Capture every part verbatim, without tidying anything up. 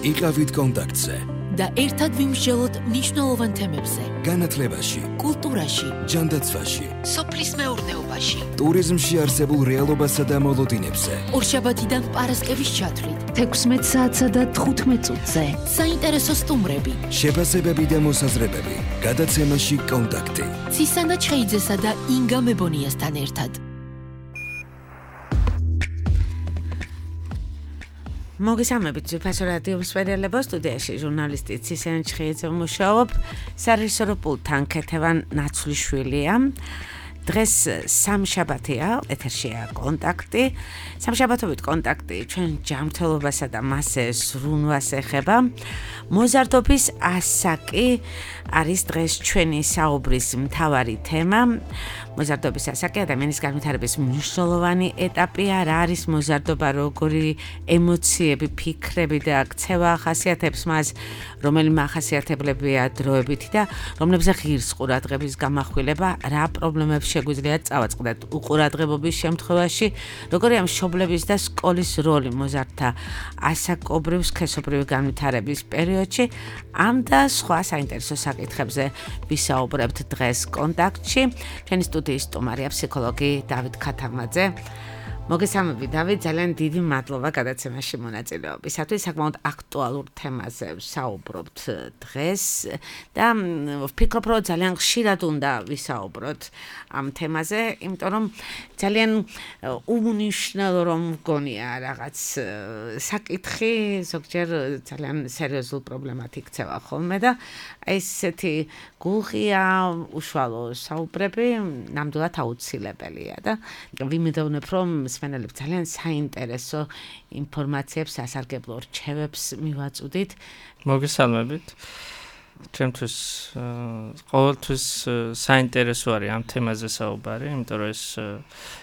იყავით კონტაქტზე და ერთად ვიმსჯელოთ მნიშვნელოვან თემებზე. განათლებაში, კულტურაში, ჯანდაცვაში, სოფლის მეურნეობაში, ტურიზმში არსებულ რეალობასა და მოლოდინებზე. ორშაბათიდან პარასკევის ჩათვლით, თექვსმეტ საათსა და თხუთმეტ წუთზე. საინტერესო სტუმრები, შეფასებები და მოსაზრებები. გადაცემაში კონტაქტი. ცისანა ჩხეიძესა და ინგა მებონიასთან ერთად. მოგესალმებით ძვირფასო რადიო მსმენელებო, სტუდიაში ჟურნალისტი ცისანა ჩხეიძე მუშაობ, სარეჟისორო პულტთან ქეთევან ნაცვლიშვილია. დღეს სამშაბათია, ეთერშია კონტაქტი. სამშაბათობით კონტაქტი ჩვენ ჯანმრთელობასა და მასზე ზრუნვას ეხება. მოზარდობის ასაკი არის დღეს ჩვენი საუბრის მთავარი თემა. მოზარდობის ასაკი ადამიანის განვითარების მნიშვნელოვანი ეტაპია. რა არის მოზარდობა, როგორი ემოციები, ფიქრები და ქცევა ახასიათებს მას, რომელი მახასიათებლებია დროებითი და რომლებზე ღირს ყურადღების გამახვილება, რა პრობლემებს შეგვიძლია წავაწყდეთ უყურადღებობის შემთხვევაში, როგორია მშობლების და სკოლის როლი მოზარდთა ასაკობრივ სქესობრივი განვითარების პერიოდში. ამ და სხვა საინტერესო საკითხებზე ვისაუბრებთ დღეს კონტაქტში. ჩვენი სტუდიის სტუმარია ფსიქოლოგი დავით ქათამაძე. მოგესალმებით დავით, ძალიან დიდი მადლობა გადაცემაში მონაწილეობისათვის. საკმაოდ აქტუალურ თემაზე ვსაუბრობთ დღეს და ვფიქრობ, რომ ძალიან ხშირად უნდა ვისაუბროთ ამ თემაზე, იმიტომ რომ ძალიან უმნიშვნელო რომ მგონია რაღაც საკითხი, ზოგჯერ ძალიან სერიოზულ პრობლემად იქცევა ხოლმე და ესეთი გულღია უშუალო საუბრები ნამდვილად აუცილებელია და ვიმედოვნებ, რომ მსმენელებს ძალიან საინტერესო ინფორმაციებს, სასარგებლო რჩევებს მივაწვდით. მოგესალმებით. ჩემთვის ყოველთვის საინტერესო არის ამ თემაზე საუბარი, იმიტომ რომ ეს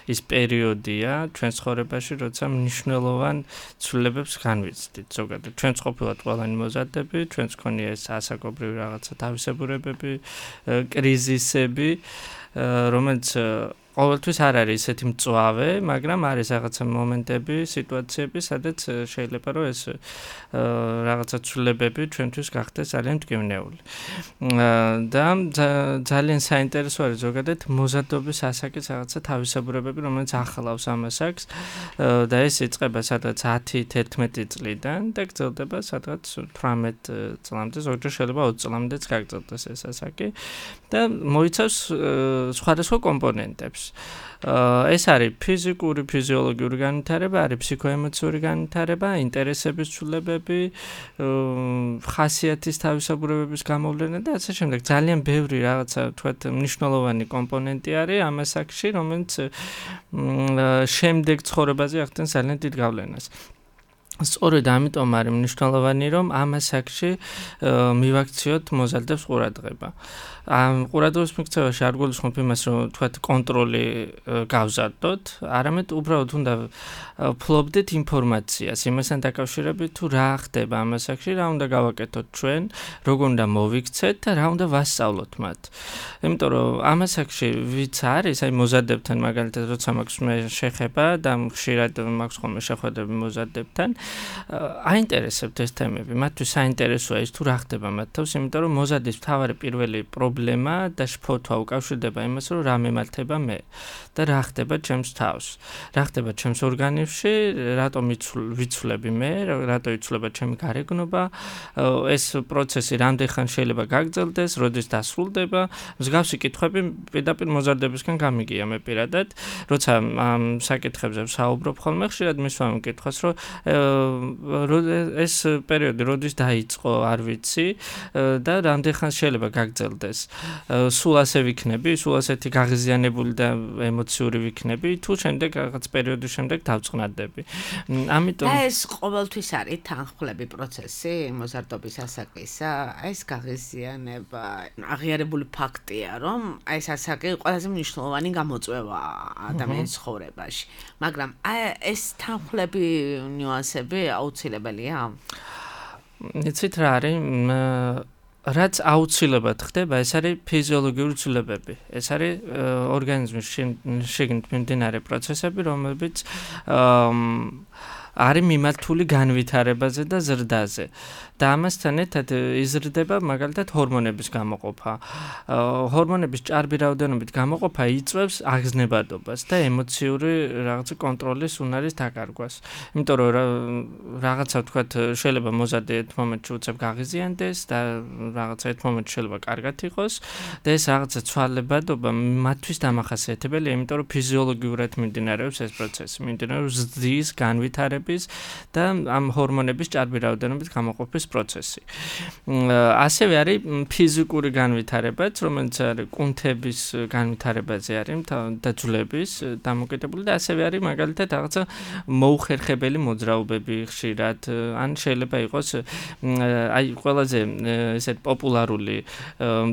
ის პერიოდია ჩვენ ცხოვრებაში, როცა მნიშვნელოვან ცვლილებებს განვიცდით. ზოგადად ჩვენც ყოფილად ყველანი მოზარდები, ჩვენც ქონია ეს ასაკობრივი რაღაცა თავისებურებები, კრიზისები, რომელიც ყოველთვის არ არის ესეთი მწვავე, მაგრამ არის რაღაცა მომენტები, სიტუაციები, სადაც შეიძლება რომ ეს რაღაცა ცვლილებები ჩვენთვის გახდეს ძალიან მტკივნეული. და ძალიან საინტერესო არის ზოგადად მოზარდობის ასაკის რაღაცა თავისებურებები, რომელიც ახლავს ამ ასაკს და ეს იწყება სადღაც ათი თერთმეტი წლიდან და გრძელდება სადღაც თვრამეტ წლამდე, ზოგჯერ შეიძლება ოცი წლამდეც გაგრძელდეს ეს ასაკი და მოიცავს სხვადასხვა კომპონენტებს. ეს არის ფიზიკური, ფიზიოლოგიური განვითარება, არის ფსიქოემოციური განვითარება, ინტერესების ცვლილებები, ხასიათის თავისებურებების გამოვლენა და ასე შემდეგ. ძალიან ბევრი რაღაცა თქვათ მნიშვნელოვანი კომპონენტი არის ამ ასაკში, რომელიც შემდეგ ცხოვრებაზე ახდენს ძალიან დიდ გავლენას. სწორედ ამიტომ არის მნიშვნელოვანი, რომ ამ ასაკში მივაქციოთ მოზარდებს ყურადღება. ამ ყურადღების მიქცევაში არ გულისხმობ იმას, რომ თქვათ კონტროლი გავზარდოთ, არამედ უბრალოდ უნდა ვფლობდეთ ინფორმაციას, იმასთან დაკავშირებით თუ რა ხდება ამ ასაკში, რა უნდა გავაკეთოთ ჩვენ, როგორ უნდა მოვიქცეთ და რა უნდა ვასწავლოთ მათ. იმიტომ რომ ამ ასაკში ვიც არის, აი მოზარდებთან მაგალითად როცა მაქვს მე შეხება და ხშირად მაქვს ხოლმე შეხვედრები მოზარდებთან, აინტერესებთ ეს თემები, მათთვის საინტერესოა ის თუ რა ხდება მათ თავს, იმიტომ რომ მოზარდის მთავარი პირველი პრობლემა და შფოთვა უკავშირდება იმას, რომ რა მემართება მე და რა ხდება ჩემს თავს, რა ხდება ჩემს ორგანიზმში, რატომ ვიცვლები მე, რატო იცვლება ჩემი გარეგნობა, ეს პროცესი რამდენ ხან შეიძლება გაგრძელდეს, როდის დასრულდება. მსგავსი კითხვები პირდაპირ მოზარდებისგან გამიგია მე პირადად, როცა ამ საკითხებზე ვსაუბრობ ხოლმე, ხშირად მისვამ კითხვას, რომ ეს პერიოდი როდის დაიწყო, არ ვიცი და რამდენ ხან შეიძლება გაგრძელდეს. სულ ასე ვიქნები, სულ ასეთი გაღიზიანებული და ემოციური ვიქნები, თუ შემდეგ რაღაც პერიოდის შემდეგ დავწყნარდები. ამიტომ ეს ყოველთვის არის თანხმლები პროცესი მოზარდობის ასაკისა, ეს გაღიზიანება აღიარებული ფაქტია, რომ ეს ასაკი ყველაზე მნიშვნელოვანი გამოწვევა ადამიანის ცხოვრებაში. მაგრამ ეს თანხმლები ნიუანსები აუცილებელია? იცით რა არის? რაც აუცილებლად ხდება, ეს არის ფიზიოლოგიური ცვლილებები. ეს არის ორგანიზმის შიგნით მიმდინარე პროცესები, რომლებიც არის მიმართული განვითარებაზე და ზრდაზე. და ამასთან ერთად იზრდება მაგალითად ჰორმონების გამოყოფა. ჰორმონების ჭარბი რაოდენობით გამოყოფა იწვევს აგზნებადობას და ემოციური რაღაც კონტროლის უნარის დაკარგვას. იმიტომ რომ რაღაცა თქვათ შეიძლება მოზარდი ერთ მომენტში უცებ გაღიზიანდეს და რაღაცა ერთ მომენტში შეიძლება კარგად იყოს და ეს რაღაცა ცვალებადობა მათთვის დამახასიათებელია, იმიტომ რომ ფიზიოლოგიურად მიმდინარეობს ეს პროცესი, მიმდინარეობს ზრდის, განვითარების და ამ ჰორმონების ჭარბი რაოდენობით გამოყოფის პროცესი. ასევე არის ფიზიკური განვითარებაც, რომელიც არის კუნთების განვითარებაზე არის და ძვლების დამოკიდებული და ასევე არის მაგალითად რაღაცა მოუხერხებელი მოძრაობები ხშირად, ან შეიძლება იყოს აი ყველაზე ესეთ პოპულარული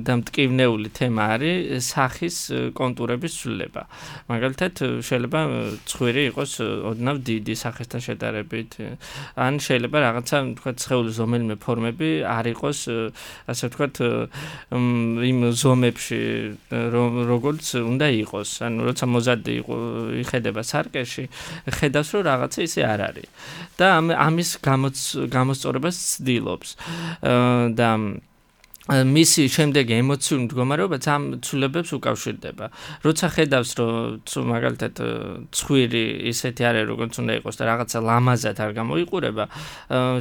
და მტკივნეული თემა არის სახის კონტურების ცვლილება. მაგალითად შეიძლება ცხვირი იყოს ოდნავ დიდი სახესთან შედარებით, ან შეიძლება რაღაცა თქვა სხეულის ზომელიმე ფორმები არ იყოს ასე ვთქვათ იმ ზომებში როგორც უნდა იყოს. ანუ როცა მოზარდი იხედება სარკეში, ხედავს რომ რაღაცა ისე არ არის. და ამის გამოსწორებას ცდილობს. და მისი შემდეგი ემოციური მდგომარეობაც ამ ცვლილებებს უკავშირდება. როცა ხედავს რომ მაგალითად ცხვირი ისეთი არის როგორც უნდა იყოს და რაღაცა ლამაზად არ გამოიყურება,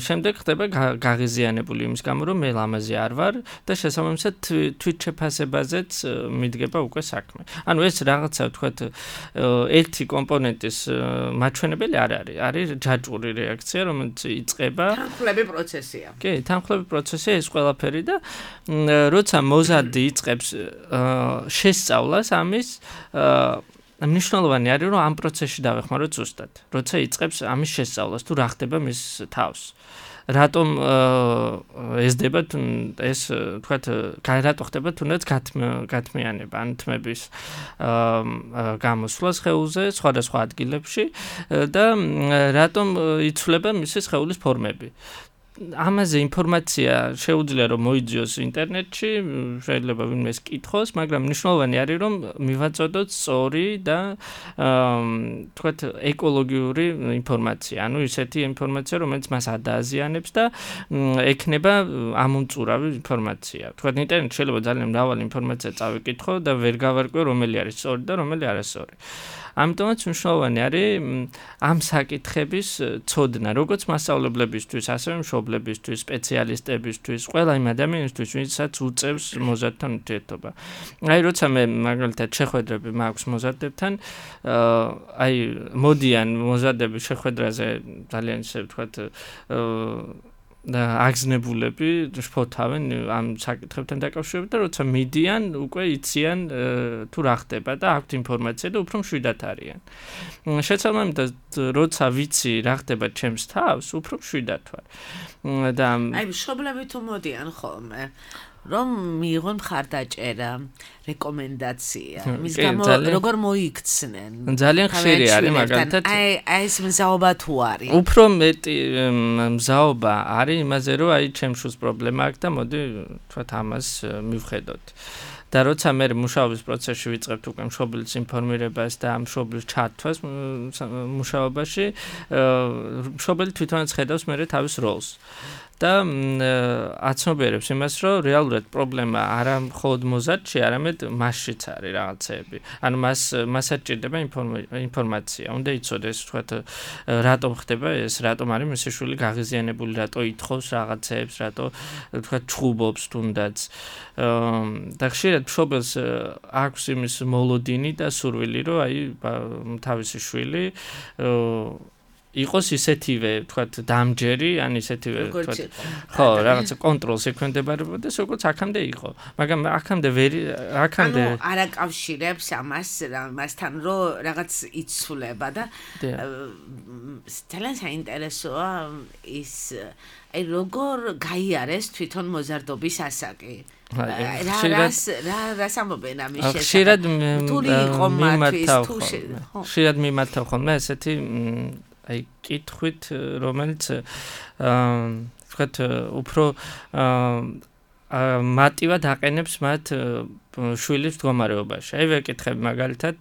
შემდეგ ხდება გაღიზიანებული იმის გამო რომ მე ლამაზი არ ვარ და შესაბამისად თვითშეფასებაზეც მიდგება უკვე საქმე. ანუ ეს რაღაცა ვთქვათ ერთი კომპონენტის მაჩვენებელი არ არის. არის ჯაჭვური რეაქცია, რომელიც იწყება თანხმლები პროცესია. კი, თანხმლები პროცესია ეს ყველაფერი და როცა მოზარდი იწყებს შესწავლას ამის მნიშვნელოვანი არის რომ ამ პროცესში დავეხმაროთ ზუსტად. როცა იწყებს ამის შესწავლას თუ რა ხდება მის თავს. რატომ ესდება ეს თქვათ რატო ხდება თუნდაც გათმიანება ან თმების გამოსვლა სხეულზე სხვადასხვა ადგილებში და რატომ იცვლება მისი სხეულის ფორმები. ამაზე ინფორმაცია შეუძლია რომ მოიძიოს ინტერნეტში, შეიძლება ვინმეს კითხოს, მაგრამ მნიშვნელოვანი არის რომ მივაწოდოთ სწორი და თქვათ ეკოლოგიური ინფორმაცია. ანუ ისეთი ინფორმაცია, რომელიც მას არ დააზიანებს და ექნება ამომწურავი ინფორმაცია. თქვათ ინტერნეტში შეიძლება ძალიან მრავალი ინფორმაცია წავიკითხო და ვერ გავარკვევ რომელი არის სწორი და რომელი არასწორი. ამიტომაც მნიშვნელოვანი არის ამ საკითხების ცოდნა, როგორც მასწავლებლებისთვის, ასევე მშობლებისთვის, სპეციალისტებისთვის, ყველა იმ ადამიანისთვის, ვინცაც უწევს მოზარდთან ურთიერთობა. აი, როცა მე მაგალითად შეხვედრები მაქვს მოზარდებთან, აი, მოდიან მოზარდები შეხვედრაზე ძალიან ისე ვთქვათ და აგზნებულები შფოთავენ ამ საკითხებთან დაკავშირებით და როცა მიდიან უკვე იციან თუ რა ხდება და აქვთ ინფორმაცია და უფრო მშვიდად არიან. შესაბამისად როცა ვიცი რა ხდება ჩემს თავს, უფრო მშვიდად ვარ. და აი მშობლები თუ მოდიან ხოლმე რომ მიიღონ მხარდაჭერა, რეკომენდაცია, მის გამო როგორ მოიქცნენ. ძალიან ხშირი არის მაგალითად. აი აი ეს მზაობა თუ არის. უფრო მეტი მზაობა არის იმაზე რომ აი ჩემს შვილს პრობლემა აქვს და მოდი თქვათ ამას მივხედოთ. და როცა მე მუშაობის პროცესში ვიწყებთ უკვე მშობლის ინფორმირებას და მშობლის ჩართვას მუშაობაში, მშობელი თვითონაც ხედავს მე თავის როლს. და აცნობიერებს იმას, რომ რეალურად პრობლემა არა მხოლოდ მოზარდში, არამედ მასშიც არის რაღაცეები. ანუ მას მასაც ჭირდება ინფორმაცია. უნდა იცოდეს, თქვათ, რატომ ხდება ეს, რატომ არის მისი შვილი გაღიზიანებული, რატო ითხოვს რაღაცეებს, რატო თქვათ ჩხუბობს თუნდაც. და ხშირად მშობელს აქვს იმის მოლოდინი და სურვილი, რომ აი თავისი შვილი იყოს ისეთივე, თქვათ, დამჯერი, ან ისეთივე, თქვათ, ხო, რაღაცა კონტროლს ექვემდებარებოდეს, როგორც აქამდე იყო. მაგრამ აქამდე ვერ აქამდე ანუ არ აკავშირებს ამას მასთან, რომ რაღაც იცვლება და ძალიან საინტერესოა ის აი როგორ გაიარეს თვითონ მოზარდობის ასაკი. რა რა სამობენ ამის შესახებ. ხშირად მიმართავ ხოლმე. ხშირად მიმართავ ხოლმე ესეთი აი კითხვით, რომელიც აა ვთქვათ უფრო მატივად აყენებს მათ შვილის მდგომარეობაში. აი ვეკითხები მაგალითად,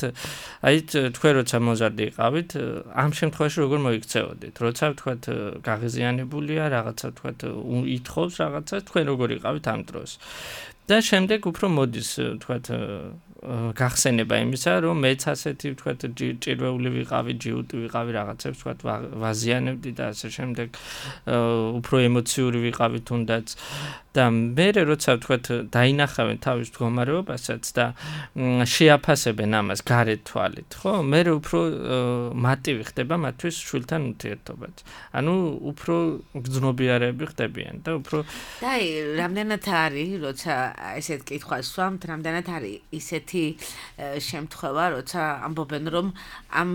აი თქვენ როცა მოზარდი იყავით, ამ შემთხვევაში როგორ მოიქცეოდით? როცა თქვათ გაღიზიანებულია, რაღაცა თქვათ ითხოვს რაღაცას, თქვენ როგორ იყავით ამ დროს? და შემდეგ უფრო მოდის თქვათ გახსენება იმისა, რომ მეც ასეთი თქვათ ჭირვეული ვიყავი, ჯიუტი ვიყავი, რაღაცებს თქვათ ვაზიანებდი და ასე შემდეგ, უფრო ემოციური ვიყავი თუნდაც და მე როცა თქვათ დაინახავენ თავის მდგომარეობასაც და შეაფასებენ ამას გარეთ თვალით, ხო? მე უფრო მატივი ხდება მათთვის შვილთან ურთიერთობაც. ანუ უფრო გრძნობიარები ხდებიან და უფრო და აი რამდენად არის, როცა ესეთ კითხვას ვსვამთ, რამდენად არის ისეთი შემთხვევა, როცა ამბობენ, რომ ამ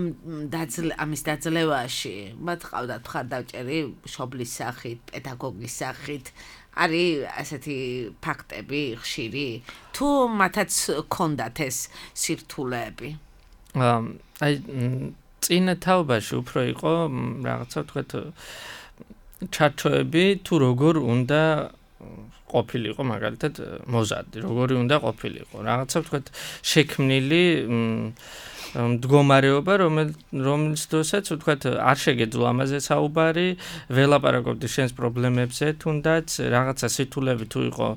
ამის დაძლევაში მათ ყავდათ მხარდაჭერი მშობლის სახით, პედაგოგის სახით, არის ასეთი ფაქტები ხშირი, თუ მათაც ჰქონდათ ეს სირთულეები? აი წინა თაობაში უფრო იყო რაღაცა თქვათ ჩარჩოები, თუ როგორ უნდა ყოფილიყო მაგალითად მოზარდი, როგორი უნდა ყოფილიყო. რაღაცა თქვათ შექმნილი მდგომარეობა, რომელიც დროსაც თქვათ არ შეგეძლო ამაზე საუბარი, ველაპარაკობდი შენს პრობლემებზე, თუნდაც რაღაცა სირთულეები თუ იყო,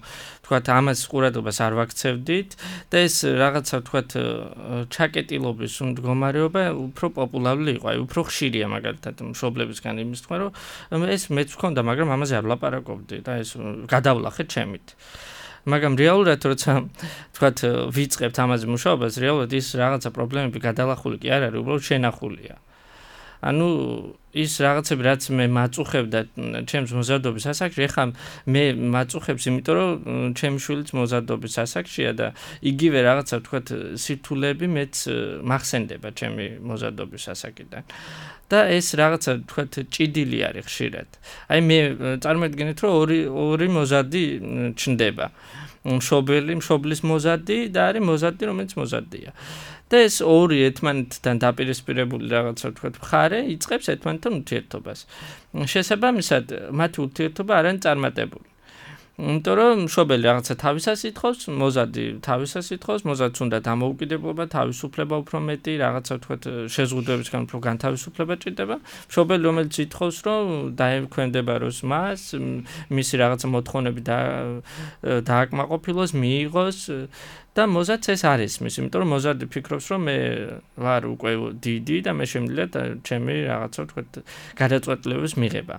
თქვათ ამას ყურადღებას არ ვაქცევდით და ეს რაღაცა თქვათ ჩაკეტილობის მდგომარეობა უფრო პოპულარული იყო, აი უფრო ხშირია მაგალითად მშობლებისგან იმის თქმა, რომ ეს მეც ვქონდა, მაგრამ ამაზე არ ვლაპარაკობდი და ეს გადავლახე ჩემით. მაგრამ რეალურად როცა თქვათ ვიწყებთ ამაზე მუშაობას, რეალურად ის რაღაცა პრობლემები გადალახული კი არ არის, უბრალოდ შენახულია. ანუ ის რაღაცები რაც მე მაწუხებდა ჩემს მოზარდობის ასაკში, ეხლა მე მაწუხებს, იმიტომ რომ ჩემი შვილიც მოზარდობის ასაკშია და იგივე რაღაცა თქვათ სირთულეები მეც მახსენდება ჩემი მოზარდობის ასაკიდან. და ეს რაღაცა თქვათ ჭიდილი არის ხშირად. აი მე წარმოედგინეთ, რომ ორი ორი მოზარდი ჩნდება. მშობელი, მშობლის მოზარდი და არის მოზარდი, რომელიც მოზარდია. და ეს ორი ერთმანეთთან დაპირისპირებული რაღაცა თქვათ მხარე იწყებს ერთმანეთთან ურთიერთობას. შესაბამისად, მათი ურთიერთობა არ არის წარმატებული. იმიტომ რომ მშობელი რაღაცა თავისას ითხოვს, მოზარდი თავისას ითხოვს, მოზარდს უნდა დამოუკიდებლობა, თავისუფლება უფრო მეტი, რაღაცა თქვათ შეზღუდვებისგან უფრო განთავისუფლება ჭირდება. მშობელი რომელიც ითხოვს, რომ დაექვემდებაროს მას, მისი რაღაცა მოთხოვნები დააკმაყოფილოს, მიიღოს და მოზარდს ეს არ ისმის, იმიტომ რომ მოზარდი ფიქრობს, რომ მე ვარ უკვე დიდი და მე შემიძლია ჩემი რაღაცა თქვათ გადაწყვეტილებების მიღება.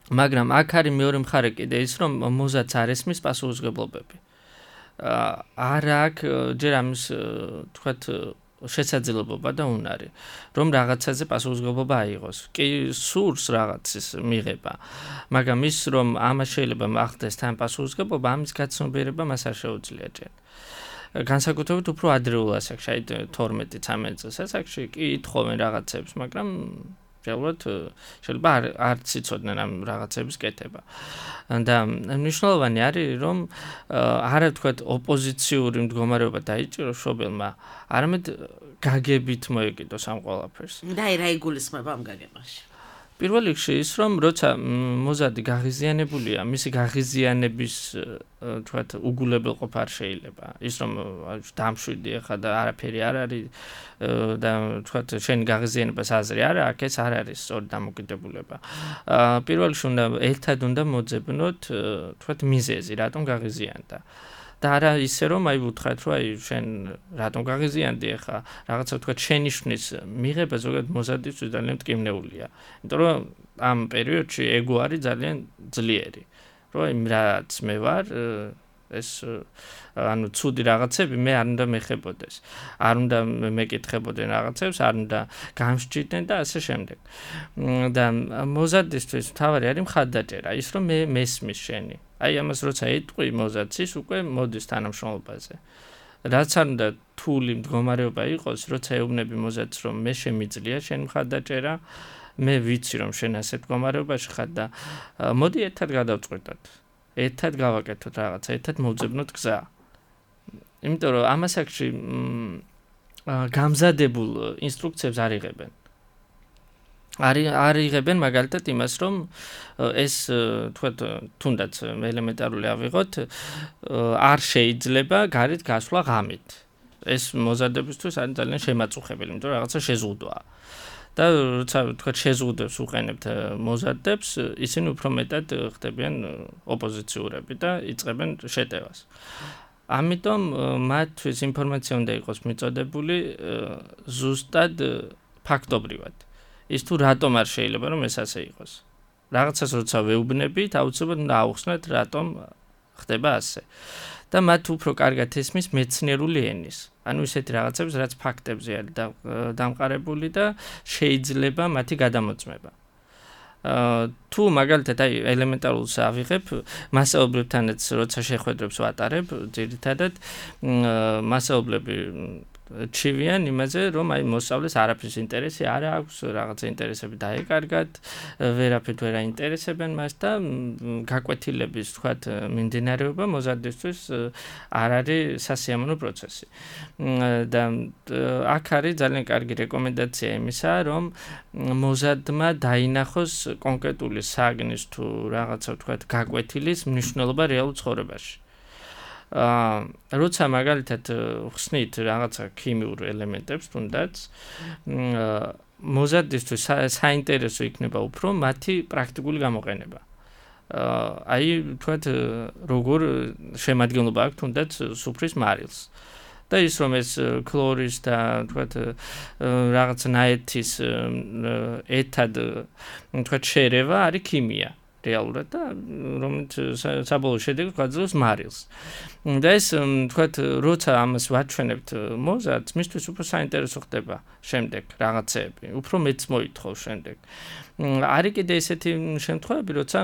მაგრამ აქ არის მეორე მხარე კიდე ის, რომ მოზარდს არ ესმის პასუხისმგებლობები. არ აქვს ჯერ ამის თქვათ შესაძლებლობა და უნარი, რომ რაღაცაზე პასუხისმგებლობა აიღოს. კი სურს რაღაცის მიღება, მაგრამ ის რომ ამას შეიძლება ახდეს თან პასუხისმგებლობა, ამის გაცნობიერება მას არ შეუძლია ჯერ. განსაკუთრებით უფრო ადრეულ ასაკში, აი თორმეტი ცამეტი წლის ასაკში კი ითხოვენ რაღაცებს, მაგრამ რეალურად შეიძლება არც იცოდნენ ამ რაღაცების კეთება. და მნიშვნელოვანი არის, რომ არა თქვათ ოპოზიციური მდგომარეობა დაიჭიროს მშობელმა, არამედ გაგებით მოეკიდოს ამ ყველაფერს. და აი რა იგულისხმება ამ გაგებაში? პირველ რიგში ის, რომ როცა მოზარდი გაღიზიანებულია, მისი გაღიზიანების თქვათ უგულებელყოფა არ შეიძლება. ის რომ დამშვიდი ახლა და არაფერი არ არის და თქვათ შენი გაღიზიანებას აზრი არა, აქ ეს არ არის სწორი დამოკიდებულება. პირველ რიგში უნდა ერთად უნდა მოძებნოთ თქვათ მიზეზი, რატომ გაღიზიანდა. და არა ისე რომ აი ვუთხრათ, რომ აი შენ რატომ გაღიზიანდი ახლა, რაღაცა თქვათ შენიშვნის მიღება ზოგადად მოზარდისთვის ძალიან მტკივნეულია. იმიტომ რომ ამ პერიოდში ეგო არის ძალიან ძლიერი. რომ აი რაც მე ვარ, ეს ანუ ცუდი რაღაცები მე არ უნდა მეხებოდეს. არ უნდა მეკითხებოდნენ რაღაცებს, არ უნდა გამსჭირდნენ და ასე შემდეგ. და მოზარდისთვის მთავარი არის მხარდაჭერა, ის რომ მე მესმის შენი. აი ამას როცა ეტყვი მოზარდს, ის უკვე მოდის თანამშრომლობაზე. რაც არ უნდა რთული მდგომარეობა იყოს, როცა ეუბნები მოზარდს, რომ მე შემიძლია შენ მხარდაჭერა, მე ვიცი რომ შენ ასეთ მდგომარეობაში ხარ და მოდი ერთად გადავწყვეტოთ. ერთად გავაკეთოთ რაღაცა, ერთად მოვძებნოთ გზა. იმიტომ რომ ამ ასაკში გამზადებულ ინსტრუქციებს არ იღებენ. არი არიღებენ მაგალითად იმას, რომ ეს თქვათ თუნდაც ელემენტარული ავიღოთ, არ შეიძლება გარეთ გასვლა ღამით. ეს მოზარდებისთვის არის ძალიან შემაწუხებელი, იმიტომ რომ რაღაცა შეზღუდვაა. და როცა თქვათ შეზღუდვებს უყენებთ მოზარდებს, ისინი უფრო მეტად ხდებიან ოპოზიციურები და იწყებენ შეტევას. ამიტომ მათთვის ინფორმაცია უნდა იყოს მიწოდებული ზუსტად ფაქტობრივად. ის თუ რატომ არ შეიძლება რომ ეს ასე იყოს. რაღაცას როცა ვეუბნებით, აუცილებლად უნდა აუხსნათ რატომ ხდება ასე. და მათ უფრო კარგად ესმის მეცნიერული ენის. ანუ ისეთი რაღაცებს, რაც ფაქტებზე არის დამყარებული და შეიძლება მათი გადამოწმება. თუ მაგალითად აი ელემენტარულს ავიღებ, მასაობლებთანაც როცა შეხვედრებს ვატარებ, ძირითადად მასაობლები ჩივიან იმაზე, რომ აი მოსწავლეს არაფრის ინტერესი არ აქვს, რაღაცა ინტერესები დაეკარგათ, ვერაფრით ვერ აინტერესებენ მას და გაკვეთილების თქვათ მიმდინარეობა მოზარდისთვის არ არის სასიამოვნო პროცესი. და აქ არის ძალიან კარგი რეკომენდაცია იმისა, რომ მოზარდმა დაინახოს კონკრეტული საგნის თუ რაღაცა თქვათ გაკვეთილის მნიშვნელობა რეალურ ცხოვრებაში. აა როცა მაგალითად ხსნით რაღაცა ქიმიურ ელემენტებს თუნდაც მოზარდისთვის საინტერესო იქნება უფრო მათი პრაქტიკული გამოყენება. აა აი თქვათ როგორ შემადგენლობა აქვს თუნდაც სუფრის მარილს. და ის რომ ეს ქლორის და თქვათ რაღაც ნაერთის ეთად თქვათ შერევა არის ქიმია. რეალურად და რომელიც საბოლოო შედეგს გვაძლევს მარილს. და ეს თქვათ როცა ამას ვაჩვენებთ მოზარდს, მისთვის უფრო საინტერესო ხდება შემდეგ რაღაცეები, უფრო მეც მოითხოვს შემდეგ. არის კიდე ესეთი შემთხვევები, როცა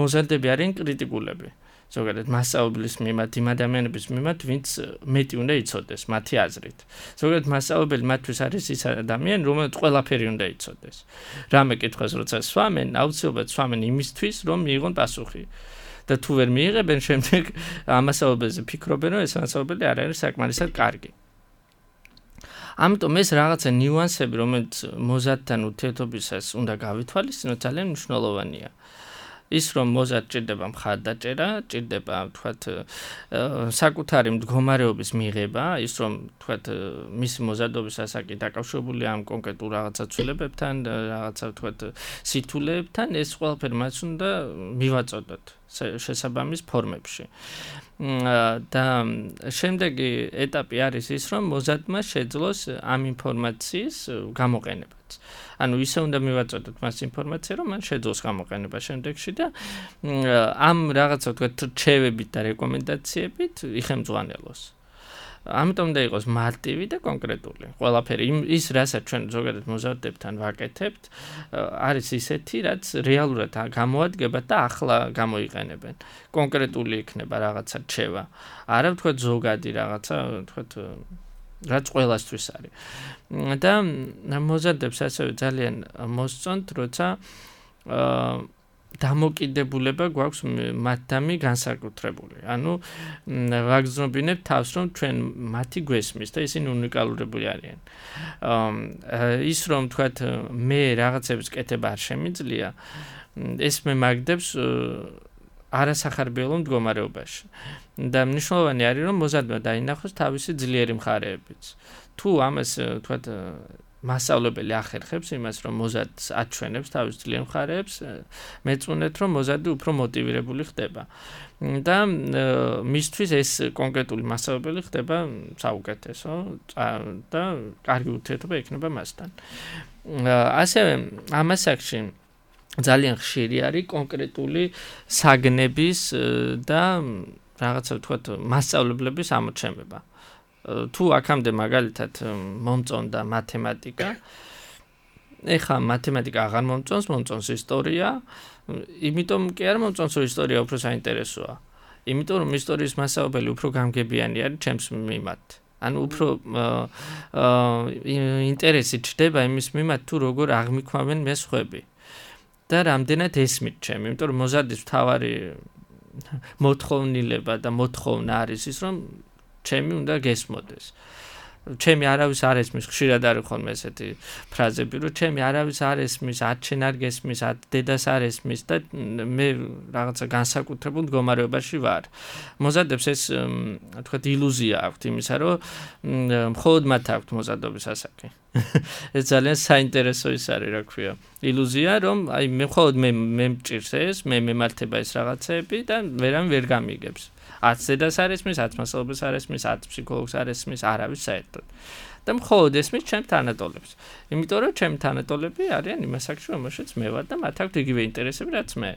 მოზარდები არიან კრიტიკულები. ზოგადად მასწავლებლის მიმართ, იმ ადამიანების მიმართ, ვინც მეტი უნდა იცოდეს მათი აზრით. ზოგადად მასწავლებელი მათთვის არის ის ადამიანი, რომელსაც ყველაფერი უნდა იცოდეს. რამე კითხვას როცა სვამენ, აუცილებლად სვამენ იმისთვის, რომ მიიღონ პასუხი. და თუ ვერ მიიღებენ, შემდეგ ამასწავლებელზე ფიქრობენ, რომ ეს მასწავლებელი არ არის საკმარისად კარგი. ამიტომ ეს რაღაცა ნიუანსები, რომელიც მოზარდთან ურთიერთობისას უნდა გავითვალისწინოთ, ძალიან მნიშვნელოვანია. ის რომ მოზარდ ჭირდება მხარდაჭერა, ჭირდება თქვათ საკუთარი მდგომარეობის მიღება, ის რომ თქვათ მისი მოზარდობის ასაკი დაკავშირებულია ამ კონკრეტულ რაღაცა ცვლილებებთან, რაღაცა თქვათ სითულეებთან, ეს ყველაფერი მას უნდა მივაწოდოთ შესაბამის ფორმებში. და შემდეგი ეტაპი არის ის, რომ მოზარდმა შეძლოს ამ ინფორმაციის გამოყენებაც. ანუ ისე უნდა მივაწოდოთ მას ინფორმაცია, რომ მან შეძლოს გამოყენება შემდეგში და ამ რაღაცა თქვათ რჩევებით და რეკომენდაციებით იხემძღვანელოს. ამიტომ უნდა იყოს მარტივი და კონკრეტული. ყველაფერი ის, რასაც ჩვენ ზოგადად მოზარდებთან ვაკეთებთ, არის ისეთი, რაც რეალურად გამოადგება და ახლა გამოიყენებენ. კონკრეტული იქნება რაღაცა რჩევა. არა თქვათ ზოგადი რაღაცა თქვათ რაც ყველასთვის არის. და მოზარდებს ასევე ძალიან მოსწონთ, როცა აა დამოკიდებულება გვაქვს მათთამი განსაკუთრებული. ანუ ვაგრძნობინებთ თავს, რომ ჩვენ მათი გვესმის და ისინი უნიკალურები არიან. ის რომ თქვათ მე რაღაცების კეთება არ შემიძლია, ეს მე მაგდებს არასახარბიელო მდგომარეობაში. და მნიშვნელოვანი არის, რომ მოზარდმა დაინახოს თავისი ძლიერი მხარეებიც. თუ ამას თქვათ მასწავლებელი ახერხებს იმას, რომ მოზარდს აჩვენებს თავის ძლიერ მხარეებს, მეწუნეთ, რომ მოზარდი უფრო მოტივირებული ხდება. და მისთვის ეს კონკრეტული მასწავლებელი ხდება საუკეთესო და კარგი ურთიერთობა ექნება მასთან. ასევე ამ ასაკში ძალიან ხშირი არის კონკრეტული საგნების და რაღაცა ვთქვათ მასწავლებლების ამოჩემება. თუ აქამდე მაგალითად მომწონდა მათემატიკა, ეხლა მათემატიკა აღარ მომწონს, მომწონს ისტორია, იმიტომ კი არ მომწონს, რომ ისტორია უფრო საინტერესოა. იმიტომ რომ ისტორიის მასწავლებელი უფრო გამგებიანი არის ჩემს მიმართ. ანუ უფრო ინტერესი ჩდება იმის მიმართ, თუ როგორ აღმიქვამენ მე სხვები. და რამდენად ესმით ჩემი, იმიტომ რომ მოზარდის მთავარი მოთხოვნილება და მოთხოვნა არის ის, რომ ჩემი უნდა გესმოდეს. ჩემი არავის არ ესმის, ხშირად არის ხოლმე ესეთი ფრაზები, რომ ჩემი არავის არ ესმის, არჩენ არ გესმის, დედას არ ესმის და მე რაღაცა განსაკუთრებულ მდგომარეობაში ვარ. მოზადებს ეს თქვათ ილუზია აქვთ იმისა, რომ მხოლოდ მათ აქვთ მოზადობის ასაკი. ეს ძალიან საინტერესო ის არის, რა ქვია. ილუზია, რომ აი მე მხოლოდ მე მე მჭირს ეს, მე მემართება ეს რაღაცეები და ვერამ ვერ გამიგებს. არც დედას არ ესმის, არც მასწავლებელს არ ესმის, არც ფსიქოლოგს არ ესმის, არავის საერთოდ. და მხოლოდ ესმის ჩემს თანატოლებს. იმიტომ რომ ჩემი თანატოლები არიან იმ ასაკში, რომელშიც მე ვარ და მათ აქვთ იგივე ინტერესები, რაც მე.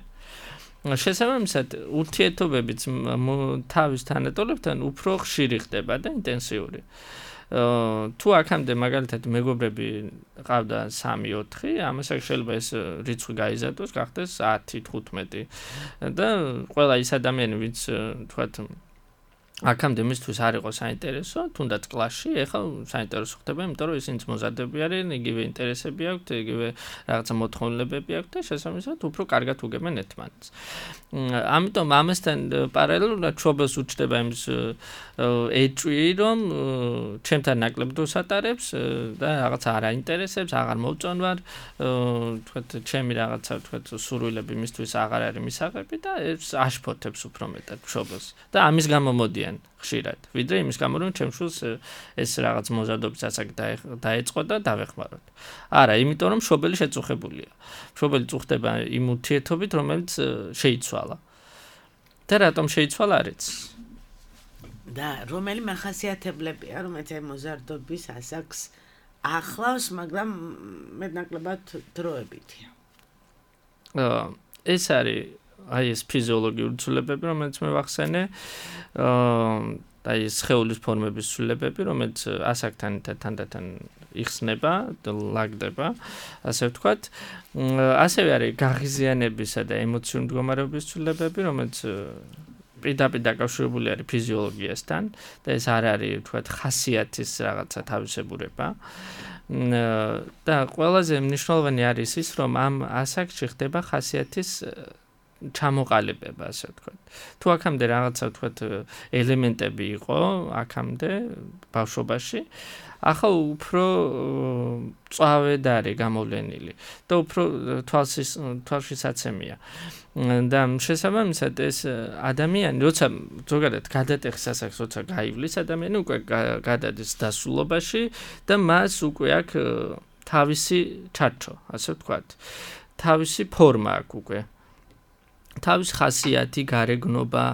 შესაბამისად, ურთიერთობებიც თავის თანატოლებთან უფრო ხშირი ხდება და ინტენსიური. თუ აქამდე მაგალითად მეგობრები ყავდა სამი ოთხი, ამასაც შეიძლება ეს რიცხვი გაიზარდოს, გახდეს ათი თხუთმეტი და ყველა ის ადამიანი, ვინც თქვათ აქამდე მისთვის არ იყო საინტერესო, თუნდაც კლასში, ეხლა საინტერესო ხდება, იმიტომ რომ ისინიც მოზარდები არიან, იგივე ინტერესები აქვთ, იგივე რაღაცა მოთხოვნილებები აქვთ და შესაბამისად უფრო კარგად უგებენ ერთმანეთს. ამიტომ ამასთან პარალელურად მშობელს უჩნდება იმის ეჭვი, რომ ჩემთან ნაკლებ დროს ატარებს და რაღაცა არ აინტერესებს, აღარ მოვწონვარ, თქვათ ჩემი რაღაცა თქვათ სურვილები მისთვის აღარ არის მისაღები და ეს აშფოთებს უფრო მეტად მშობელს და ამის გამო მოდიან ხშირად, ვიდრე იმის გამო რომ ჩემ შულს ეს რაღაც მოზადობის ასაკი დაეწყო და დავეხმაროთ. არა, იმიტომ რომ მშობელი შეწუხებულია. მშობელი წუხდება იმ ურთიერთობით, რომელიც შეიცვალა. და რატომ შეიცვალა არ იცის. და რომელი მახასიათებლებია, რომელიც აი მოზარდობის ასაკს ახლავს, მაგრამ მეტნაკლებად დროებითია. ეს არის აი ეს ფიზიოლოგიური ცვლილებები, რომელიც მე ვახსენე, აა აი ეს სხეულის ფორმების ცვლილებები, რომელიც ასაკთან თანდათან იხსნება და ლაგდება, ასე ვთქვათ. ასევე არის გაღიზიანებისა და ემოციური მდგომარეობის ცვლილებები, რომელიც პირდაპირ დაკავშირებული არის ფიზიოლოგიასთან და ეს არ არის ვთქვათ ხასიათის რაღაცა თავისებურება. და ყველაზე მნიშვნელოვანი არის ის, რომ ამ ასაკში ხდება ხასიათის ჩამოყალიბება, ასე ვთქვათ. თუ აქამდე რაღაცა ვთქვათ ელემენტები იყო აქამდე ბავშვობაში, ახლა უფრო წვავედ არის გამოვლენილი და უფრო თვალსის თვალშისაცემია. და შესაბამისად ეს ადამიანი, როცა ზოგადად გადატეხის ასაკს, როცა გაივლის ადამიანი უკვე გადადის დასულობაში და მას უკვე აქვს თავისი ჩარჩო, ასე ვთქვათ. თავისი ფორმა აქვს უკვე. თავის ხასიათი, გარეგნობა,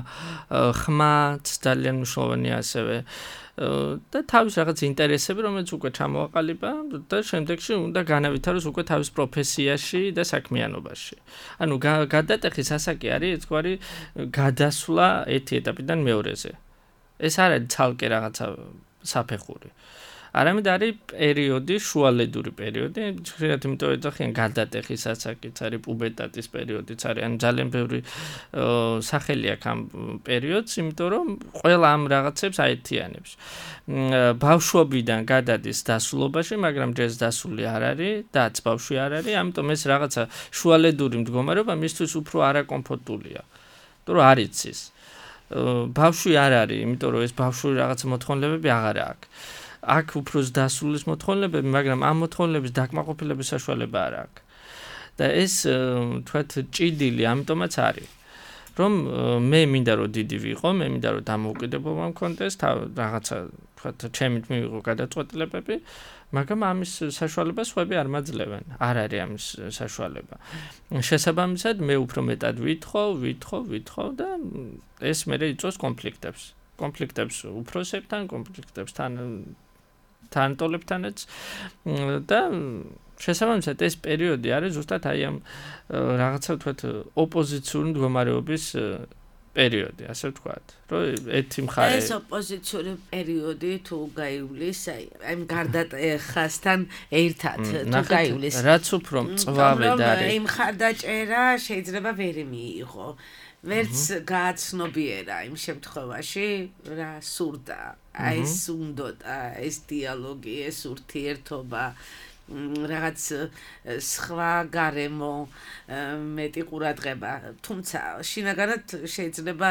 ხმაც ძალიან მნიშვნელოვანია ასევე და თავის რაღაც ინტერესები, რომელიც უკვე ჩამოაყალიბა და შემდეგში უნდა განავითაროს უკვე თავის პროფესიაში და საქმიანობაში. ანუ გადატეხის ასაკი არის ერთგვარი გადასვლა ერთი ეტაპიდან მეორეზე. ეს არ არის ცალკე რაღაცა საფეხური. არამედ არის პერიოდი, შუალედური პერიოდი, ხშირად იმიტომ ეძახიან გადატეხის ასაკიც არის პუბერტატის პერიოდიც არის, ან ძალიან ბევრი სახელი აქვს ამ პერიოდს, იმიტომ რომ ყველა ამ რაღაცებს აერთიანებს. ბავშვობიდან გადადის დასულობაში, მაგრამ ჯერ დასული არ არის, დაც ბავშვი არ არის, ამიტომ ეს რაღაცა შუალედური მდგომარეობა მისთვის უფრო არაკომფორტულია. იმიტომ რომ არ იცის. ბავშვი არ არის, იმიტომ რომ ეს ბავშვური რაღაცა მოთხოვნილებები აღარ აქვს. აქ უფრო დასულის მოთხოვნილებები, მაგრამ ამ მოთხოვნილების დაკმაყოფილების საშუალება არ აქვს. და ეს თქვათ ჭიდილი ამიტომაც არის, რომ მე მინდა რომ დიდი ვიყო, მე მინდა რომ დამოუკიდებლობა მქონდეს, რაღაცა თქვათ ჩემით მივიღო გადაწყვეტილებები, მაგრამ ამის საშუალებას სხვები არ მაძლევენ. არ არის ამის საშუალება. შესაბამისად, მე უფრო მეტად ვითხოვ, ვითხოვ, ვითხოვ და ეს მერე იწვევს კონფლიქტებს. კონფლიქტებს უფროსებთან, კონფლიქტებს თან თანატოლებთანაც და შესაბამისად ეს პერიოდი არის ზუსტად აი ამ რაღაცა ვთქვათ ოპოზიციური მდგომარეობის პერიოდი, ასე ვთქვათ, რომ ერთი მხარე ეს ოპოზიციური პერიოდი თუ გაივლის, აი ამ გარდატეხასთან ერთად თუ გაივლის, რაც უფრო მწვავედ არის. იმ ხარდაჭერა შეიძლება ვერ მიიღო. ვერც გააცნობიერა იმ შემთხვევაში რა სურდა, აი ეს უნდოდა, ეს დიალოგი, ეს ურთიერთობა, რაღაც სხვა გარემო მეტი ყურადღება, თუმცა შინაგანად შეიძლება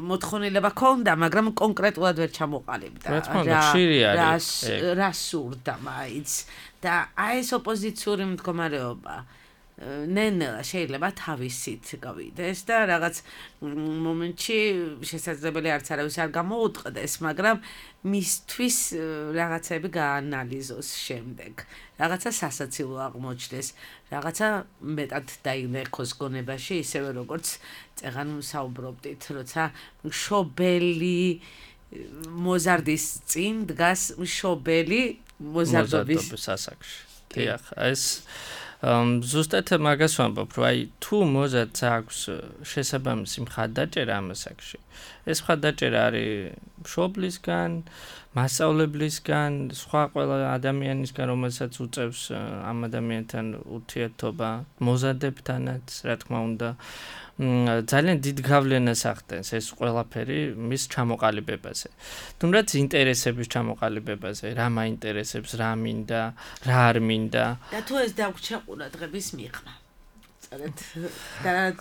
მოთხოვნილება ქონდა, მაგრამ კონკრეტულად ვერ ჩამოყალიბდა. რა სურდა მაინც და აი ეს ოპოზიციური მდგომარეობა ნენელა შეიძლება თავისით გავიდეს და რაღაც მომენტში შესაძლებელი არც არავის არ გამოუტყდეს, მაგრამ მისთვის რაღაცები გაანალიზოს შემდეგ. რაღაცა სასაცილო აღმოჩნდეს, რაღაცა მეტად დაინერხოს გონებაში, ისევე როგორც წეღან საუბრობდით, როცა მშობელი მოზარდის წინ დგას მშობელი მოზარდობის ასაკში. დიახ, ეს ზუსტად მაგას ვამბობ, რომ აი თუ მოზარდს აქვს შესაბამისი მხარდაჭერა ამ ასაკში, ეს მხარდაჭერა არის მშობლისგან, მასწავლებლისგან, სხვა ყველა ადამიანისგან, რომელსაც უწევს ამ ადამიანთან ურთიერთობა, მოზარდებთანაც, რა თქმა უნდა, ძალიან დიდ გავლენას ახდენს ეს ყველაფერი მის ჩამოყალიბებაზე. თუნდაც ინტერესების ჩამოყალიბებაზე, რა მაინტერესებს, რა მინდა, რა არ მინდა. და თუ ეს დაგვრჩა ყურადღების მიღმა. წერეთ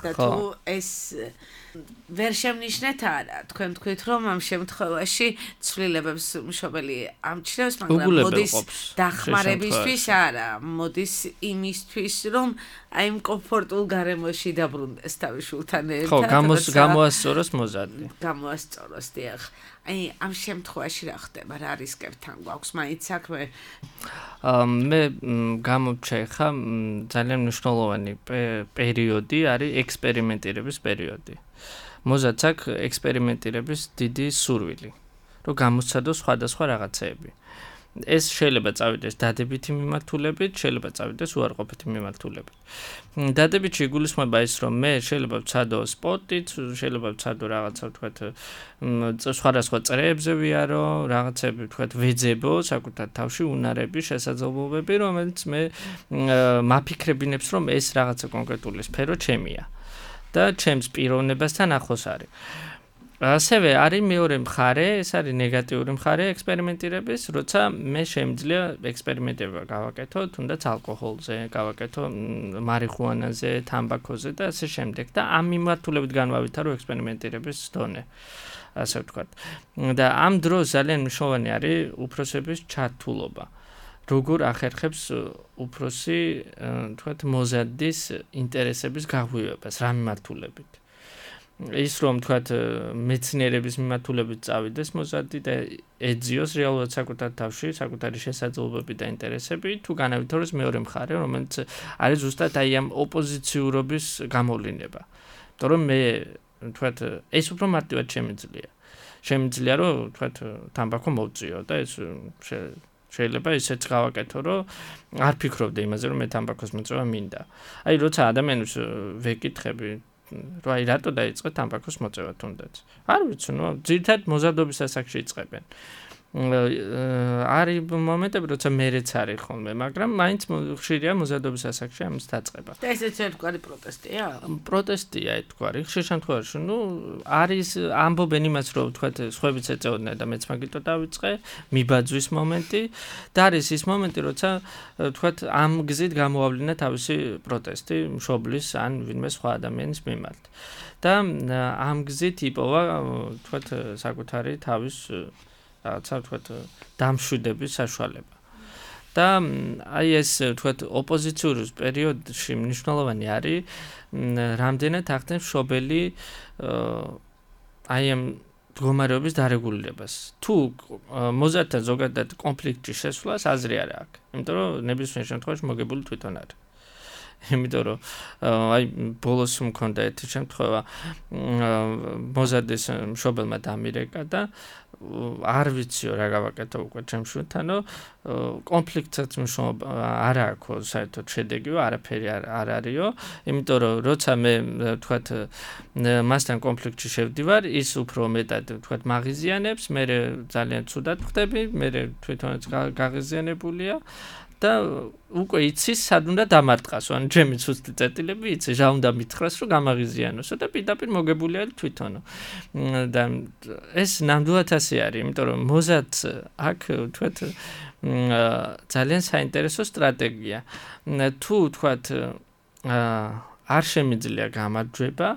და თუ ეს ვერ შემნიშნეთ არა, თქვენ თქვით რომ ამ შემთხვევაში ცვლილებებს მშობელი ამჩნევს, მაგრამ მოდის დახმარებისთვის არა, მოდის იმისთვის რომ აი იმ კომფორტულ გარემოში დაბრუნდეს თავის შულთან ერთად. ხო, გამოასწოროს მოზარდი. გამოასწოროს, დიახ. აი ამ შემთხვევაში რა ხდება, რა რისკებთან გვაქვს მაინც საქმე? მე გამოვჩე ხა ძალიან მნიშვნელოვანი პერიოდი არის ექსპერიმენტირების პერიოდი. მოზარდს აქვს ექსპერიმენტირების დიდი სურვილი, რომ გამოსცადოს სხვადასხვა რაღაცეები. ეს შეიძლება წავიდეს დადებითი მიმართულებით, შეიძლება წავიდეს უარყოფითი მიმართულებით. დადებითი იგულისხმება ის, რომ მე შეიძლება ვცადო სპორტით, შეიძლება ვცადო რაღაცა ვთქვათ სხვადასხვა წრეებზე ვიარო, რაღაცები ვთქვათ ვეძებო საკუთარ თავში უნარები, შესაძლებლობები, რომელიც მე მაფიქრებინებს, რომ ეს რაღაცა კონკრეტული სფერო ჩემია და ჩემს პიროვნებასთან ახლოს არის. ასევე არის მეორე მხარე, ეს არის ნეგატიური მხარე ექსპერიმენტირების, როცა მე შემიძლია ექსპერიმენტება გავაკეთო, თუნდაც ალკოჰოლზე, გავაკეთო მარიხუანაზე, თამბაქოზე და ასე შემდეგ და ამ მიმართულებით განვავითარო ექსპერიმენტირების დონე, ასე ვთქვათ. და ამ დროს ძალიან მნიშვნელოვანი არის უფროსების ჩართულობა. როგორ ახერხებს უფროსი, ვთქვათ, მოზარდის ინტერესების გაღვივებას, რა მიმართულებით. ის რომ თქვათ მეცნიერების მიმართულებით წავიდეს მოზარდი და ეძიოს რეალურად საკუთარ თავში, საკუთარი შესაძლებლობები და ინტერესები, თუ განავითაროს მეორე მხარე, რომელიც არის ზუსტად აი ამ ოპოზიციურობის გამოვლინება. იმიტომ რომ მე თქვათ ეს უფრო მარტივად შემიძლია. შემიძლია რომ თქვათ თამბაქო მოვწიო და ეს შეიძლება ისეც გავაკეთო, რომ არ ფიქრობდე იმაზე, რომ მე თამბაქოს მოწევა მინდა. აი როცა ადამიანს ვეკითხები რომ აი რატო დაიწყე თამბაქოს მოწევა თუნდაც. არ ვიცი, ნუ ძირითადად მოზარდობის ასაკში იწყებენ. არის მომენტები, როცა მერეც არის ხოლმე, მაგრამ მაინც ხშირია მოზარდობის ასაკში ამის დაწყება. და ესეც ერთგვარი პროტესტია? პროტესტია ერთგვარი. ხშირ შემთხვევაში, ნუ არის ამბობენ იმას, რომ თქვათ სხვებიც ეწეოდნენ და მეც მაგიტო დავიწყე, მიბაძვის მომენტი და არის ის მომენტი, როცა თქვათ ამ გზით გამოავლინა თავისი პროტესტი მშობლის ან ვინმე სხვა ადამიანის მიმართ. და ამ გზით იპოვა თქვათ საკუთარი თავის რაღაცა ვთქვათ დამშვიდების საშუალება. და აი ეს ვთქვათ ოპოზიციური პერიოდში მნიშვნელოვანი არის რამდენად ახდენს მშობელი აი ამ მდგომარეობის დარეგულირებას. თუ მოზარდთან ზოგადად კონფლიქტში შესვლას აზრი არ აქვს. იმიტომ რომ ნებისმიერ შემთხვევაში მოგებული თვითონ არის. იმიტომ რომ აი ბოლოს მქონდა ერთი შემთხვევა მოზარდის მშობელმა დამირეკა და არ ვიციო რა გავაკეთო უკვე ჩემს შვილთანო, კონფლიქტსაც მნიშვნელობა არ აქვს საერთოდ შედეგიო, არაფერი არ არისო, იმიტომ რომ როცა მე ვთქვათ მასთან კონფლიქტში შევდივარ, ის უფრო მეტად ვთქვათ მაღიზიანებს, მე ძალიან ცუდად ხდები, მე თვითონაც გაღიზიანებულია და უკვე იცის სად უნდა დამარტყასო, ანუ ჩემი ცუცი წერტილები იცი, რა უნდა მითხრას, რომ გამაღიზიანოსო და პირდაპირ მოგებული არის თვითონო. და ეს ნამდვილად ასე არის, იმიტომ რომ მოზადს აქ თქვათ ძალიან საინტერესო სტრატეგია. თუ თქვათ არ შემიძლია გამარჯვება,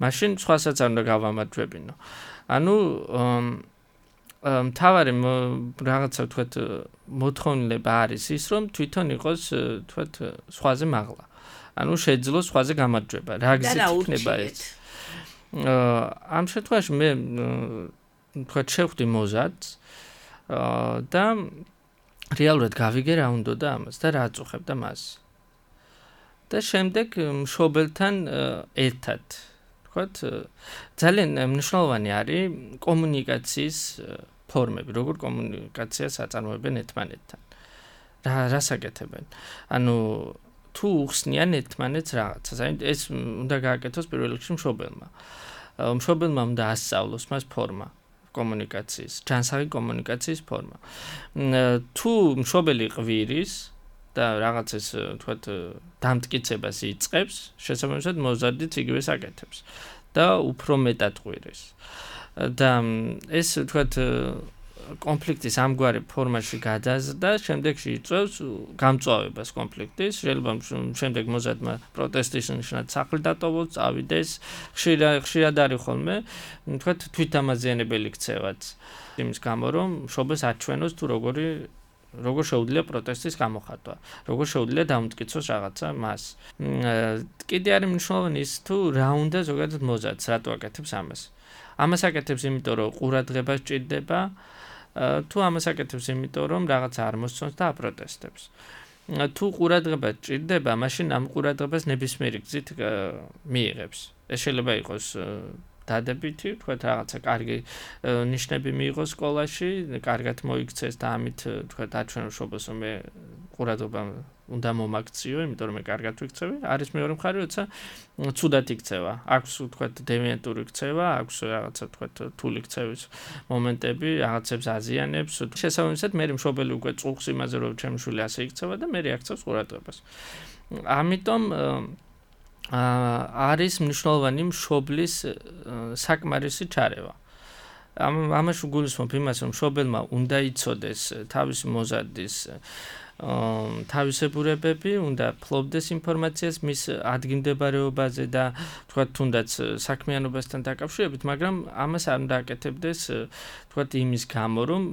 მაშინ სხვასაც არ უნდა გავამარჯვებინო. ანუ მთავარი რაღაცა თქვათ მოთხოვნილება არის ის, რომ თვითონ იყოს თქვათ სხვაზე მაღლა. ანუ შეძლოს სხვაზე გამარჯვება. რა გზით იქნება ეს? ამ შემთხვევაში მე თქვათ შევხვდი მოზადს და რეალურად გავიგე რა უნდა და ამას და რა აწუხებდა მას. და შემდეგ მშობელთან ერთად თქვათ ძალიან მნიშვნელოვანი არის კომუნიკაციის ფორმები, როგორ კომუნიკაციას აწარმოებენ ერთმანეთთან. რა რას აკეთებენ? ანუ თუ უხსნიან ერთმანეთს რაღაცას, აი ეს უნდა გააკეთოს პირველ რიგში მშობელმა. მშობელმა უნდა ასწავლოს მას ფორმა კომუნიკაციის, ჯანსაღი კომუნიკაციის ფორმა. თუ მშობელი ყვირის და რაღაცას თქვათ დამტკიცებას იწყებს, შესაბამისად მოზადიც იგივეს აკეთებს და უფრო მეტად ყვირის. და ეს თქვათ კონფლიქტის ამგვარი ფორმაში გადაზრდა, შემდეგში იწვევს გამწვავებას კონფლიქტის, შეიძლება შემდეგ მოზადმა პროტესტის ნიშნად სახლი დატოვოს, წავიდეს, ხშირად არის ხოლმე, თქვათ თვითამაზიანებელი ქცევაც. იმის გამო რომ მშობელს აჩვენოს თუ როგორი როგორ შეუძლია პროტესტის გამოხატვა, როგორ შეუძლია დამტკიცოს რაღაცა მას. კიდე არის მნიშვნელოვანი ის თუ რა უნდა ზოგადად მოზადს, რატო აკეთებს ამას. ამას აკეთებს იმიტომ რომ ყურადღება სჭირდება, თუ ამას აკეთებს იმიტომ რომ რაღაცა არ მოსწონს და აპროტესტებს. თუ ყურადღება სჭირდება, მაშინ ამ ყურადღებას ნებისმიერი გზით მიიღებს. ეს შეიძლება იყოს დადებითი, თქვათ რაღაცა კარგი ნიშნები მიიღოს სკოლაში, კარგად მოიქცეს და ამით თქვათ აჩვენოს მშობელს რომ მე ყურადღება უნდა მომაქციო, იმიტომ რომ მე კარგად ვიქცევი. არის მეორე მხარე, როცა ცუდად იქცევა. აქვს თქვათ დევიანტური ქცევა, აქვს რაღაცა თქვათ რთული ქცევის მომენტები, რაღაცებს აზიანებს. შესაბამისად მე მშობელი უკვე წუხს იმაზე რომ ჩემი შვილი ასე იქცევა და მე რეაქციებს ყურადღებას. ამიტომ არის მნიშვნელოვანი მშობლის საკმარისი ჩარევა. ამაში გულისხმობ იმას, რომ მშობელმა უნდა იცოდეს თავისი მოზადის თავისებურებები, უნდა ფლობდეს ინფორმაციას მის ადგილმდებარეობაზე და თქვათ თუნდაც საქმიანობასთან დაკავშირებით, მაგრამ ამას არ უნდა აკეთებდეს თქვათ იმის გამო, რომ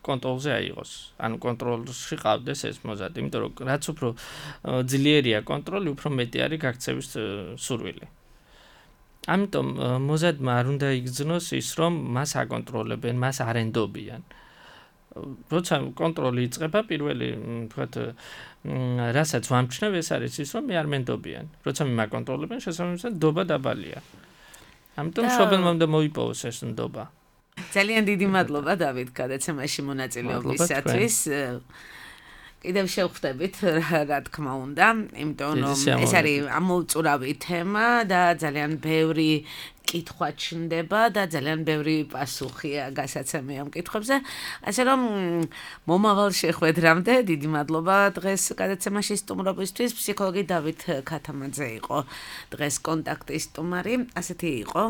კონტროლზე აიღოს. ანუ კონტროლში ყავდეს ეს მოზადი, იმიტომ რომ რაც უფრო ძლიერია კონტროლი, უფრო მეტი არის გაქცევის სურვილი. ამიტომ მოზადმა არ უნდა იგრძნოს ის, რომ მას აკონტროლებენ, მას არ ენდობიან. როცა კონტროლი იწყება, პირველი თქვათ რასაც ვამჩნევ, ეს არის ის, რომ მე არ მენდობიან. როცა მე მაკონტროლებენ, შესაბამისად ნდობა დაბალია. ამიტომ მშობელმა უნდა მოიპოვოს ეს ნდობა. ძალიან დიდი მადლობა დავით გადაცემაში მონაწილეობისათვის. კიდევ შევხვდებით, რა თქმა უნდა, იმიტომ რომ ეს არის ამოუწურავი თემა და ძალიან ბევრი კითხვა ჩნდება და ძალიან ბევრი პასუხია გასაცემი ამ კითხვებზე. ასე რომ მომავალ შეხვედრამდე დიდი მადლობა დღეს გადაცემაში სტუმრობისთვის. ფსიქოლოგი დავით ქათამაძე იყო დღეს კონტაქტის სტუმარი. ასეთი იყო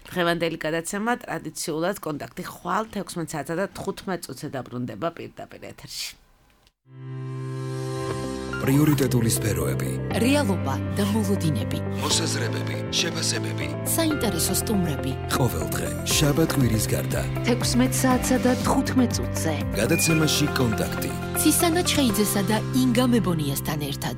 დღევანდელი გადაცემა. ტრადიციულად კონტაქტი ხვალ თექვსმეტ საათსა და თხუთმეტ წუთზე დაბრუნდება პირდაპირ ეთერში. პრიორიტეტული სფეროები, რეალობა და მოლოდინები, მოსაზრებები, შეფასებები, საინტერესო სტუმრები. ყოველდღე შაბათ კვირის გარდა თექვსმეტ საათსა და თხუთმეტ წუთზე გადაცემაში კონტაქტი. ცისანა ჩხეიძესა და ინგა მებონიასთან ერთად.